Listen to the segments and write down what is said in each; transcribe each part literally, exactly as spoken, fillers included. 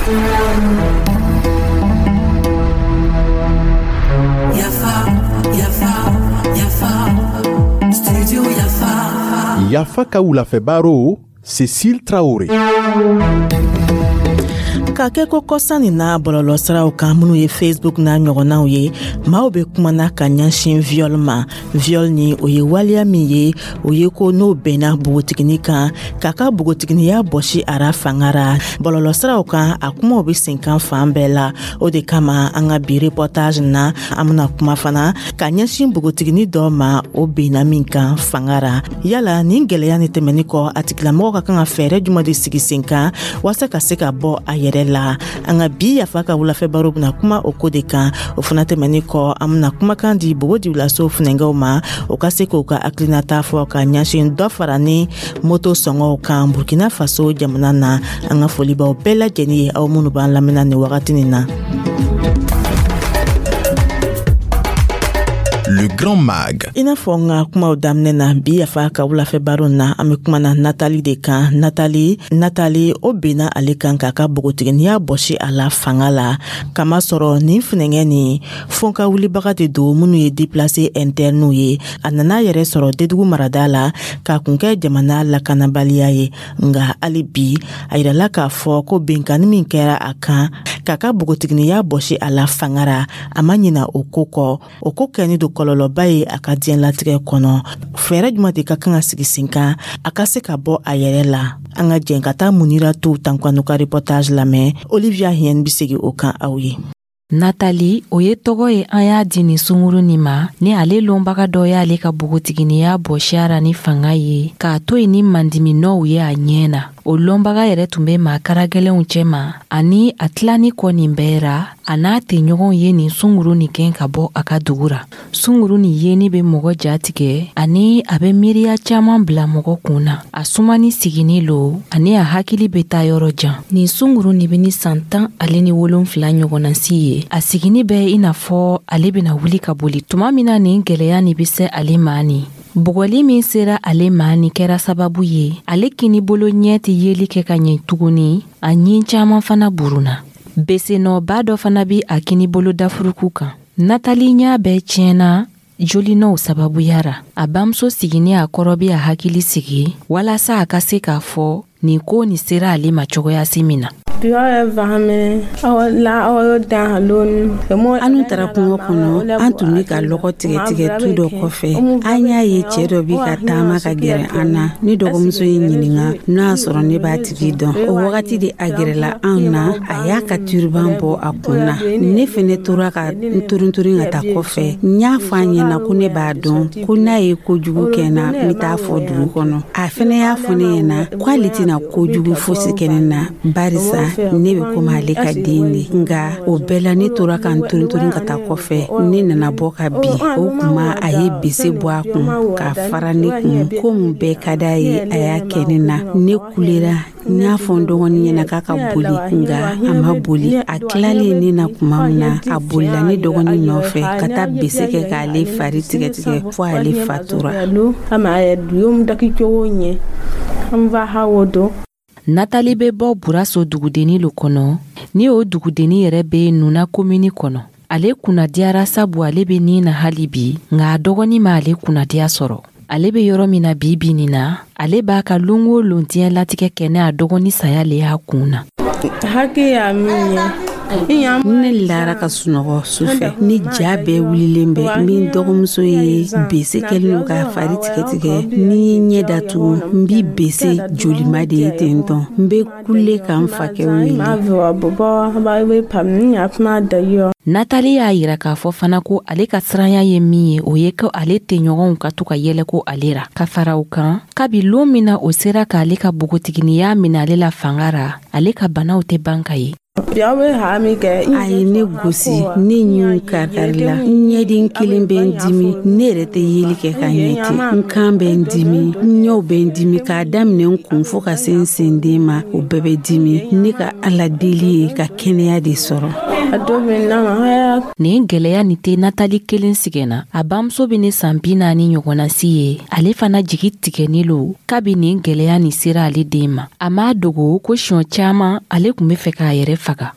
Yafa, Yafa, Yafa, Studio Yafa. Yafa ka wulafɛ baro, Cécile Traoré. Ka kɛ ko kɔsa nin na, bɔlɔlɔsiraw kan minnu ye Facebook n'a ɲɔgɔnnaw ye, maaw bɛ kumana ka ɲɛsin viol ma. Viol ni o ye waleya min ye, o ye ko n'o bɛnna bogotigini kan k'a ka bogotiginiya bɔsi a ra fanga ra. Bɔlɔlɔsiraw kan, a kumaw bɛ sen kan fan bɛɛ la. O de kama, an ka bi reportage na, an bena kuma fana ka ɲɛsin bogotigini dɔ ma, o benna min kan fanga ra. Yala nin gwɛlɛya ni tɛmɛni kɔ, a tigilamɔgɔ ka kan ka fɛɛrɛ juman de sigi sen kan waasa ka se ka bɔ a yɛrɛ la? An ka bi Yafa ka wulafɛ baro bena kuma o ko de kan. O fana tɛmɛni kɔ, an bena kumakan di Bobo Dioulasso funɛngɛw ma, o ka se k'o ka hakilinata fɔ ka ɲɛsin dɔ fara ni moto sɔngɔw kan Burkina Faso jamana na. An ka folibaw bɛɛ lajɛlen ye aw minnu b'an lamɛnna nin wagati nin na. Le Grand Mag. I n'a fɔ n ka kumaw daminɛ na, bi Yafa ka wulafɛ baro na, an be kuma na Natali de kan. Natali, Natali o benna ale kan k'a ka bogotiginiya bɔsi a la fanga la, kamasɔrɔ nin funɛngɛ nin fɔnka wulibaga de don minnu ye déplacé internew ye. A nana yɛrɛ sɔrɔ Dedugu marada la k'a kun kɛ jamana lakanabaliya ye. Nga hali bi, a yirala k'a fɔ ko benkanni min kɛra a kan k'a ka bogotiginiya bɔsi a la fanga ra, a ma ɲina o ko kɔ. O ko kɛni don kɔlɔlɔba ye a ka diɲɛlatigɛ kɔnɔ. Fɛɛrɛ juman de ka kan ka sigi sen kan a ka se ka bɔ a yɛrɛ la? An ka jɛn ka taa Munira to Tankwanu ka reportage lamɛn. Olivia Hien be segi o kan aw ye. Natali, o ye tɔgɔ ye an y'a di nin sunguru nin ma, ni ale lɔnbaga dɔ y'ale ka bogotiginiya bɔsiya ra ni fanga ye, k'a to yen ni mandiminɔw ye a ɲɛ na. O lɔnbaga yɛrɛ tun bɛ maa karagɛlɛnw cɛma, ani a tilani kɔ nin bɛɛ ra, a n'a tɛɲɔgɔnw ye nin sunguru nin gɛn ka bɔ a ka dugu ra. Sunguru nin yeni bɛ mɔgɔ ja tigɛ, ani a bɛ miiriya caman bila mɔgɔ kun na. A sumani sigini lo, ani a hakili bɛ taa yɔrɔ jan. Nin sunguru nin bɛ ni san tan ale ni wolonfila ɲɔgɔnna si ye. A sigini bɛ i n'a fɔ ale bɛna wuli ka boli tuma min na nin gwɛlɛya nin bɛ se ale ma. Nin bugɔli min sera ale ma nin kɛra sababu ye ale kini bolo ɲɛ tɛ yeli kɛ ka ɲɛ tuguni, a ɲin caman fana buruna. Besenɔba dɔ fana bi a kini bolo dafuruku kan. Natali ɲa bɛɛ tiɲɛna jolinɔw sababuya ra. A bamuso sigini a kɔrɔ bi a hakili sigi walasa a ka se k'a fɔ nin ko nin sera ale ma cogoya si min na. Anu taara kungo kɔnɔ, an tun bɛ ka lɔgɔ tigɛ tigɛ tu dɔ kɔfɛ. An y'a ye cɛ dɔ bi ka taama ka gɛrɛ an na. Ne dɔgɔmuso ye ɲininka n'o y'a sɔrɔ ne b'a tigi dɔn. O wagati de a gɛrɛla anw na, a y'a ka turban bɔ a kun na. Ne fɛnɛ tora ka n turunturun ka taa kɔfɛ. N y'a fɔ a ɲɛna ko ne b'a dɔn, ko n'a ye kojugu kɛ n na, n bɛ taa fɔ dugu kɔnɔ. A fɛnɛ y'a fɔ ne ɲɛna k'ale tɛna kojugu fosi kɛ ne na, barisa ne bɛ komi ale ka den de. Nka o bɛɛ la, ne tora ka n turunturun ka taa kɔfɛ. Ne nana bɔ ka bin. O tuma a ye bese bɔ a kun k'a fara ne kun. Ko mun bɛɛ ka d'a ye, a y'a kɛ ne na. Ne kulera, n y'a fɔ n dɔgɔnin ɲɛna k'a ka boli, nka a ma boli. A tilalen ne na tuma min na, a bolila ne dɔgɔnin nɔfɛ ka taa bese kɛ k'ale fari tigɛtigɛ fo ale fatura. Natali bɛ bɔ Buraso dugudenni lo kɔnɔ, ni o dugudenni yɛrɛ bɛ Nuna komini kɔnɔ. Ale kunnadiyara sabu ale bɛ nin na hali bi, nka a dɔgɔnin ma ale kunnadiya sɔrɔ. Ale bɛ yɔrɔ min na bi bi nin na, ale b'a ka lon o lon diɲɛlatigɛ kɛ ne a dɔgɔnin saya le y'a kun na. Ne lara ka sunɔgɔ sufɛ ni ja bɛɛ wulilen bɛ. Min dɔgɔmuso ye bese kɛlen don k'a fari tigɛtigɛ. Ni ye ɲɛ datugu, n bi bese jolima de ye ten tɔn. N bɛ kule ka n fakɛ wele. Natali y'a yira k'a fɔ fana ko ale ka siranya ye min ye, o ye ko ale tɛɲɔgɔnw ka to ka yɛlɛ ko ale ra. Ka fara o kan, kabi lon min na o sera k'ale ka bogotiginiya minɛ ale la fanga ra, ale ka banaw tɛ ban ka ye. A ye ne gosi, ne ɲinw karikarila, n ɲɛden kelen bɛ n dimi, ne yɛrɛ tɛ yeli kɛ ka ɲɛ ten. N kan bɛ n dimi, n ɲɛw bɛ n dimi, k'a daminɛ n kun fo ka se n senden ma, o bɛɛ bɛ dimi. Ne ka Ala deli ye ka kɛnɛya de sɔrɔ. Nin gwɛlɛya nin tɛ Natali kelen sigɛnna. A bamuso bɛ ne san bi naani ɲɔgɔnna si ye. Ale fana jigi tigɛni lo kabi nin gwɛlɛya nin sera ale den ma. A m'a dogo ko siɲɛ caaman ale tun be fɛ k'a yɛrɛ faga.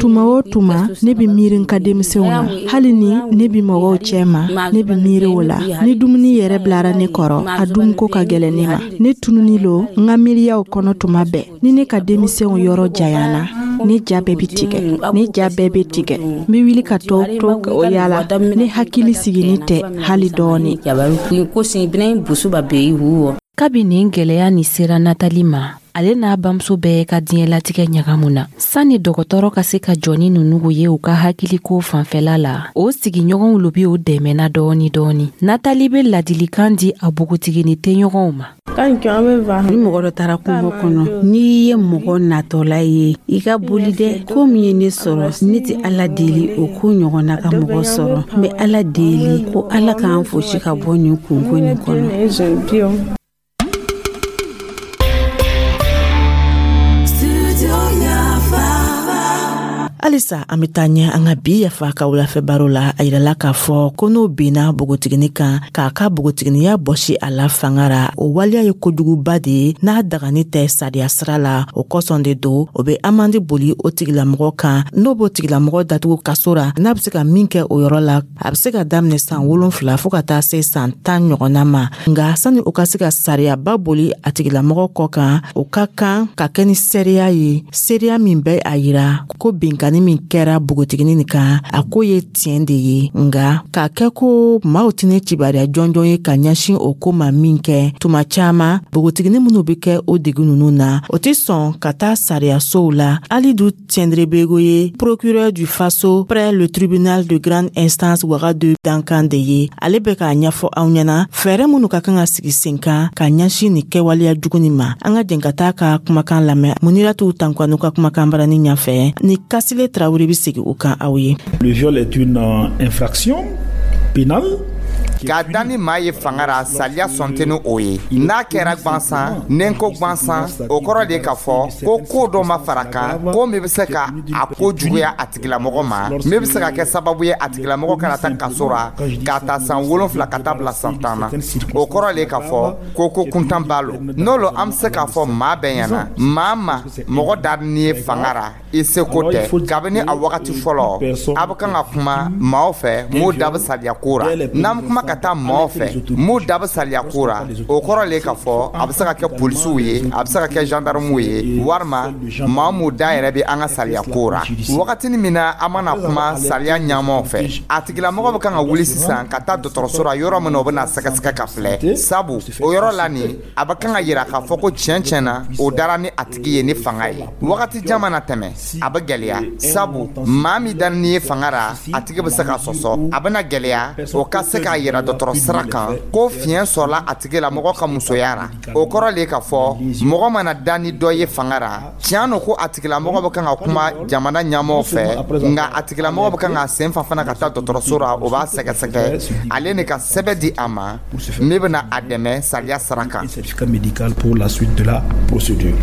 Tuma o tuma, ne bi miiri n ka denmisɛnw na. Hali ni ne bi mɔgɔw cɛ ma, ne bi miiri o la. Ni dumuni yɛrɛ bilara ne kɔrɔ, a dunko ka gɛlɛn ne ma. Ne tununi lo n ka miiriyaw kɔnɔ tuma bɛɛ. Ni ne ka denmisɛnw yɔrɔ janyana, ne ja bɛɛ bi tigɛ, ne ja bɛɛ bɛ tigɛ. N be wuli ka tɔ to o yala. Ne hakili sigini tɛ hali dɔɔni. Kabi nin gwɛlɛya nin sera Natali ma, ale n'a bamuso bɛɛ ka diɲɛlatigɛ ɲagamu na. Sanni dɔgɔtɔrɔ ka se ka jɔ ni ninnu ye u ka hakiliko fanfɛla la, o sigiɲɔgɔnw lo bi o dɛmɛna dɔɔni dɔɔni. Natali be ladilikan di a bogotigini tɛɲɔgɔnw ma. Ni mɔgɔ dɔ taara kungo kɔnɔ, n'i ye mɔgɔ natɔla ye, i ka boli dɛ. Ko min ye ne sɔrɔ, ne tɛ Ala deli o ko ɲɔgɔnna ka mɔgɔ sɔrɔ. N bɛ Ala deli ko Ala k'an fosi ka bɔ nin kunko nin kɔnɔ. Halisa an bɛ taa ɲɛ an ka bi Yafa ka wulafɛ baro la. A yirala k'a fɔ ko n'o binna bogotigini kan k'a ka bogotiginiya bɔsi a la fanga ra, o waleya ye kojuguba de ye n'a dagani tɛ sariya sira la. O kosɔn de don o bɛ amandi boli o tigilamɔgɔ kan. N'o b'o tigilamɔgɔ datugu kaso ra, n'a bɛ se ka min kɛ o yɔrɔ la, a bɛ se ka daminɛ san wolonfila fɔɔ ka taa se san tan ɲɔgɔnna ma. Nka sani o ka se ka sariyaba boli a tigilamɔgɔ kɔ kan, o ka kan ka kɛ ni seereya ye, seereya min bɛ a yira ko binkanni min kɛra bogotigini nin kan, a ko ye tiɲɛ de ye. Nga k'a kɛ ko maaw tɛna kibaruya jɔnjɔn ye ka ɲɛsin o ko ma min kɛ, tuma caaman bogotigini minnu bɛ kɛ o degun ninnu na, o tɛ sɔn ka taa sariyasow la. Alidu Tiendrebego ye procureur du Faso près le tribunal de grande instance Wagadu dankan de ye. Ale bɛ k'a ɲɛfɔ aw ɲɛna fɛɛrɛ minnu ka kan ka sigi sen kan ka ɲɛsin nin kɛwaleya jugu nin ma. An ka jɛn ka taa ka kumakan lamɛn Muniratu Tankwanu ka kumakan barani ɲɛfɛ ni Kasile Traoré bɛ segin o kan aw ye. Le viol est une infraction pénale. K'a da ni maa ye fanga ra, saliya sɔn tɛ ni o ye. N'a kɛra gwansan, ni n ko gwansan, o kɔrɔ de k'a fɔ ko ko dɔ ma fara kan, ko min bɛ se ka a ko juguya a tigilamɔgɔ ma, min bɛ se ka kɛ sababu ye a tigilamɔgɔ kana taa kaso ra k'a ta san wolonfila ka taa bila san tan na. O kɔrɔ de k'a fɔ ko ko kuntan b'a lo. N'o lo, an bɛ se k'a fɔ maa bɛɛ ɲɛna, maa ma mɔgɔ da ni ye fanga ra, i seko tɛ. Kabini a wagati fɔlɔ, a bɛ kan ka kuma maaw fɛ m'o da bɛ saliya ko ra. N'an bɛ kuma ka taa maaw fɛ m'u da bɛ saliya ko ra, o kɔrɔ le k'a fɔ a bɛ se ka kɛ polisiw ye, a bɛ se ka kɛ gendarmew ye, walima maa m'u da yɛrɛ bɛ an ka saliya ko ra. Wagatinin min na an mana kuma saliya ɲɛmaw fɛ, a tigilamɔgɔ bɛ kan ka wuli sisan ka taa dɔgɔtɔrɔso la, yɔrɔ min na o bɛ na sɛgɛsɛgɛ ka filɛ. Sabu o yɔrɔ la nin, a bɛ kan ka yira k'a fɔ ko tiɲɛ tiɲɛ na o dara ni a tigi ye ni fanga ye. Wagati jan mana tɛmɛ, a bɛ gɛlɛya, sabu maa min da ni ye fanga ra, a tigi bɛ se ka sɔsɔ. A bɛna gɛlɛya o ka se k'a yira dɔgɔtɔrɔ sira kan ko fiɲɛ sɔrɔla a tigi la mɔgɔ ka musoya ra. O kɔrɔ le k'a fɔ mɔgɔ mana da ni dɔ ye fanga ra, tiɲɛ no ko a tigilamɔgɔ bɛ kan ka kuma jamana ɲɛmɔgɔw fɛ, nka a tigilamɔgɔ bɛ kan ka sen fa fana ka taa dɔgɔtɔrɔso ra, o b'a sɛgɛsɛgɛ, ale ni ka sɛbɛn di a ma min bɛna a dɛmɛ sariya sira kan. Certificat médical pour la suite de la procédure.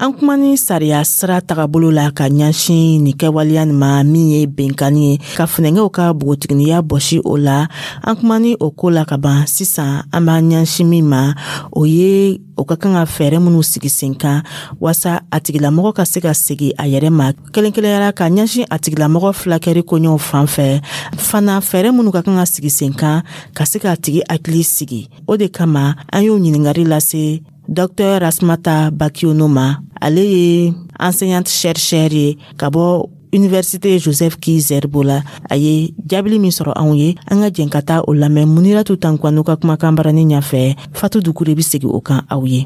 An kuma ni sariya sira tagabolo la ka ɲɛsin nin kɛwaleya nin ma min ye benkanni ye ka funɛngɛw ka bogotiginiya bɔsi o la. An kuma ni o ko la ka ban. Sisan an b'an ɲɛsin min ma, o ye o ka kan ka fɛɛrɛ minnu sigi sen kan waasa a tigilamɔgɔ ka se ka segi a yɛrɛ ma kelen kelenyara ka ɲɛsin a tigilamɔgɔ fulakɛri koɲɛw fan fɛ. Fana fɛɛrɛ minnu ka kan ka sigi sen kan ka se k'a tigi hakili sigi, o de kama an y'o ɲininkali lase Docteur Rasmata Bakiono ma. Ale ye enseignante chercheur ye ka bɔ Université Joseph Ki-Zerbo la. A ye jaabili min sɔrɔ anw ye, an ka jɛn ka taa o lamɛn Muniratu Tankwanu ka kumakan barani ɲɛfɛ. Fatu Dukure bɛ segin o kan aw ye.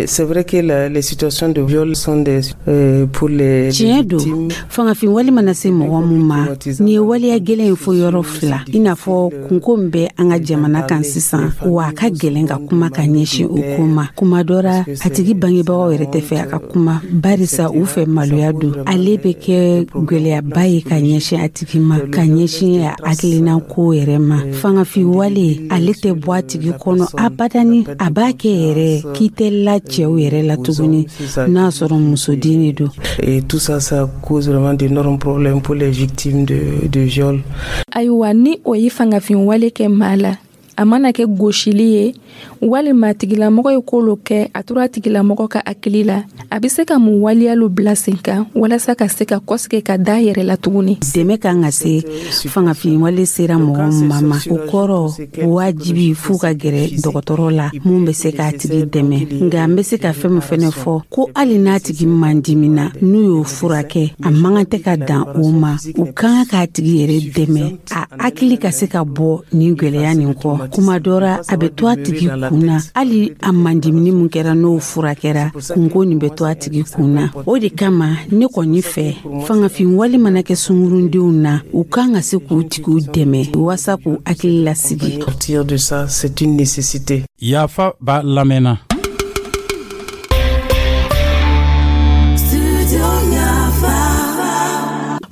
C'est vrai que la, les situations de viol sont des euh, pour les Tiɲɛ don, fangafin wale mana se mɔgɔ mun ma, nin ye waleya gɛlɛn ye fo yɔrɔ fila, i n'a fɔ kunko min bɛ an ka jamana kan sisan, wa a ka gɛlɛn ka kuma ka ɲɛsin o ko ma. Kuma dɔ ra, a tigi bangebagaw yɛrɛ tɛ fɛ a ka kuma, barisa u fɛ maloya don. Ale bɛ kɛ Gwɛlɛyaba ye ka ɲɛsin a tigi ma, ka ɲɛsin a hakilina ko yɛrɛ ma. Fangafin wale, ale tɛ bɔ a tigi kɔnɔ abadani. A b'a kɛ yɛrɛ k'i tɛ la cɛw yɛrɛ la tuguni, n'a sɔrɔ musoden de don. Et tout ça, ça cause vraiment d'énormes problèmes pour les victimes de, de viol. Ayiwa, ni o ye fangafin wale kɛ maa la, a mana kɛ gosili ye walima tigilamɔgɔ ye ko lo kɛ, a tora a tigilamɔgɔ ka hakili la, a bɛ se ka mun waleya lo bila sen kan walasa ka se ka kɔsigi ka da yɛrɛ la tuguni? Dɛmɛ kan ka se fangafin wale sera mɔgɔ min ma, o kɔrɔ wajibi f'u ka gɛrɛ dɔgɔtɔrɔ la mun bɛ se k'a tigi dɛmɛ. Nka n bɛ se ka fɛn min fɛnɛ fɔ, ko hali n'a tigi man dimina, n'u y'o furakɛ, a man kan tɛ ka dan o ma. U kan k'a tigi yɛrɛ dɛmɛ, a hakili ka se ka bɔ nin gwɛlɛya nin kɔ. Kuma dɔ ra, a bɛ to a tigi kun na. Hali a mandimini mun kɛra, n'o furakɛra, kunko nin bɛ to a tigi kun na. O de kama ne kɔni fɛ, fangafin wale mana kɛ sungurundenw na, u kan ka se k'u tigiw dɛmɛ waasa k'u hakili lasigi. Sortir de ça, c'est une nécessité. Yafa b'a lamɛnna. Studio Yafa.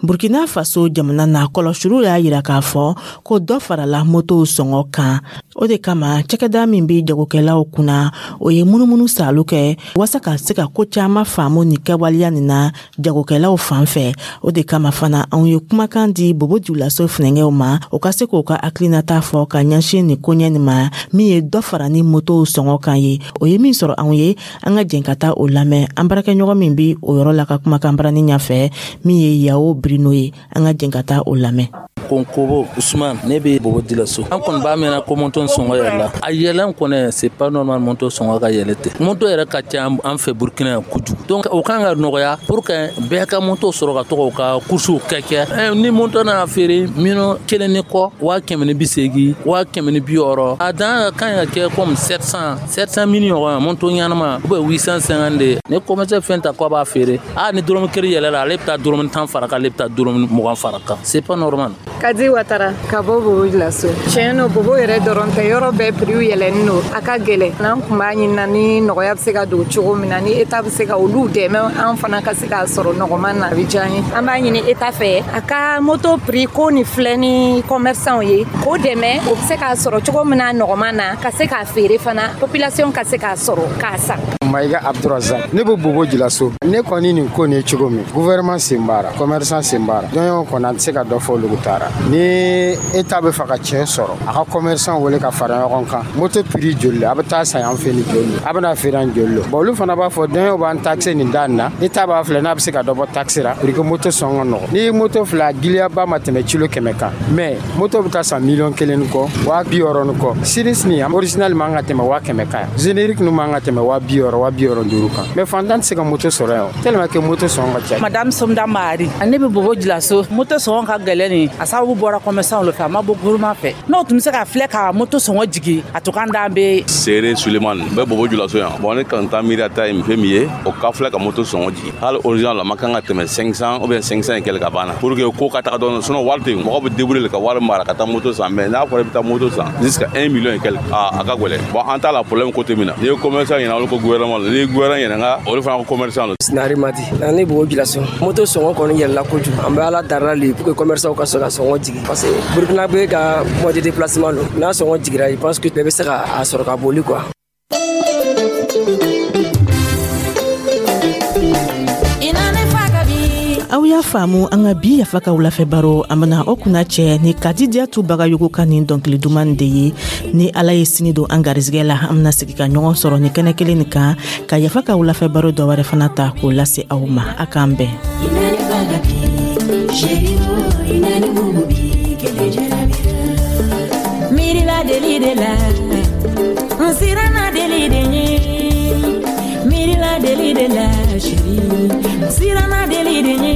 Burkina Faso jamana na, kɔlɔsiliw y'a yira k'a fɔ ko dɔ farala motow sɔngɔ kan. O de kama, cakɛda min be jagokɛlaw kunna, o ye munumunu salu kɛ waasa ka se ka ko caaman faamu ni kɛwaleya nin na jagokɛlaw fan fɛ. O de kama fana, anw ye kumakan di Bobo Julaso funɛngɛw ma, o ka se k'o ka hakilinata fɔ ka ɲɛsin nin koɲɛ nin ma, min ye dɔ fara ni motow sɔngɔ kan ye. O ye min sɔrɔ anw ye, an ka jɛn ka taa o lamɛn an baarakɛɲɔgɔn min bi o yɔrɔ la ka kumakan barani ɲɛfɛ, min ye Yawo Birino ye. An ka jɛn ka taa o lamɛn. Konkobo Usman, ne bɛ Bobo Dilaso. An kɔni b'a mɛnna ko moto sɔngɔ yɛlɛla. A yɛlɛn kɔni, c'est pas normal, moto sɔngɔ ka yɛlɛ ten. Moto yɛrɛ ka ca an fɛ Burukina yan kojugu, donc o kan ka nɔgɔya pour que bɛɛ ka moto sɔrɔ ka to k'o ka coursew kɛ kɛ Ni moto nana feere miliyɔn kelen ni kɔ, waa kɛmɛ ni bi seegin, waa kɛmɛ ni bi wɔɔrɔ, a dan ka kan ka kɛ comme sept cents, sept cent mille ɲɔgɔn, moto ɲɛnama, ou bien huit cent cinquante de. Ni commerçant fɛn ta k'a b'a feere, a ni dɔrɔmɛ kelen yɛlɛla, ale bɛ taa dɔrɔmɛ tan fara kan, ale bɛ taa dɔrɔmɛ mugan fara kan, c'est pas normal. Kadi Watara ka bɔ Bobo Julaso. Tiɲɛ no, Bobo yɛrɛ dɔrɔn tɛ, yɔrɔ bɛɛ prix yɛlɛnin no, a ka gɛlɛn. N'an kun b'a ɲinina ni nɔgɔya bɛ se ka don cogo min na, ni État bɛ se ka olu dɛmɛ, an fana ka se k'a sɔrɔ nɔgɔman na, a bɛ diya an ye. An b'a ɲini État fɛ, a ka moto prix ko ni filɛ ni commerçant ye, k'o dɛmɛ, o bɛ se k'a sɔrɔ cogo min na nɔgɔman na, ka se k'a feere fana, population ka se k'a sɔrɔ k'a san. Mayiga Abdurazak, ne bɛ Bobo Jilaso. Ne kɔni, nin ko nin ye cogo min, gouvernement sen b'a la, commerçant sen b'a la, dɔnɲɔgɔn kɔni, an tɛ se ka dɔ fɔ olu taara. Ni État bɛ fɛ ka tiɲɛ sɔrɔ, a ka commerçant wele ka fara ɲɔgɔn kan. Moto prix joli la a bɛ taa san yan fɛ? Ni joli a bɛna feere an joli la? Bon, olu fana b'a fɔ dɔnɲɔgɔn b'an taxe nin da nin na. État b'a filɛ n'a bɛ se ka dɔ bɔ taxe la pour que moto sɔn ka nɔgɔ. Ni moto filɛ, a giliyaba ma tɛmɛ kilo kɛmɛ kan, mais moto bɛ taa san miliyɔn kelen ni kɔ, waa bi wɔɔrɔ ni kɔ. Series ni original man ka tɛmɛ waa kɛmɛ kan yan, générique ninnu man ka tɛmɛ waa bi wɔɔrɔ, waa bi wɔɔrɔ duuru kan, mais fantan tɛ se ka moto sɔrɔ yan, tellement que moto sɔngɔ ka ca. Madame Somda Mari, ne bɛ Bobo Jilaso. Moto sɔngɔ ka gɛlɛn nin, a sababu bɔra commerçant le fɛ, a ma bɔ gouvernement fɛ. N'o tun bɛ se ka filɛ ka moto sɔngɔ jigin, a to kan d'an bɛ. Sere Suleiman, n bɛ Bobo Julaso yan. Bon, ne kan ta miiri ta ye fɛn min ye, o ka filɛ ka moto sɔngɔ jigin. Hali original la ma kan ka tɛmɛ cinq cents ou bien cinq cents et quelque ka banna, pour que ko ka taga dɔɔnin. Sinon wari tɛ yen, mɔgɔ bɛ débrouiller ka wari mara ka taa moto san, mais n'a fɔra i bɛ taa moto san jusqu'à un million et quelque, a a ka gɛlɛn. Bon, an t'a la problème côté min na, n'i ye commerçant ɲininka, olu ko gouvernement la. N'i ye gouvernement ɲininka, olu fana ko commerçant la. Sinari Madi, ne Bobo Jilaso. Moto sɔngɔ kɔni yɛlɛla kojugu. An bɛ Ala darila le pour que commerçant ka sɔn ka sɔngɔ jigin, parce que Burukina bɛ ka moyen de déplacement don. N'a sɔngɔ jigira, je pense que bɛɛ bɛ se ka a sɔrɔ ka boli quoi. Aw y'a faamu, an ka bi Yafa ka wulafɛ baro, an bena o kunna cɛ ni Kadidiyatu Bagayogo ka nin dɔnkili duman de ye. Ni Ala ye sini don an garizigɛ la, an bena sigi ka ɲɔgɔn sɔrɔ ni kɛnɛ kelen nin kan ka Yafa ka wulafɛ baro dɔ wɛrɛ fana ta k'o lase aw ma. A k'an bɛn. Miirila deli de la, n siranna deli de ɲɛ. Miirila deli de la, chérie, n siranna deli de ɲɛ.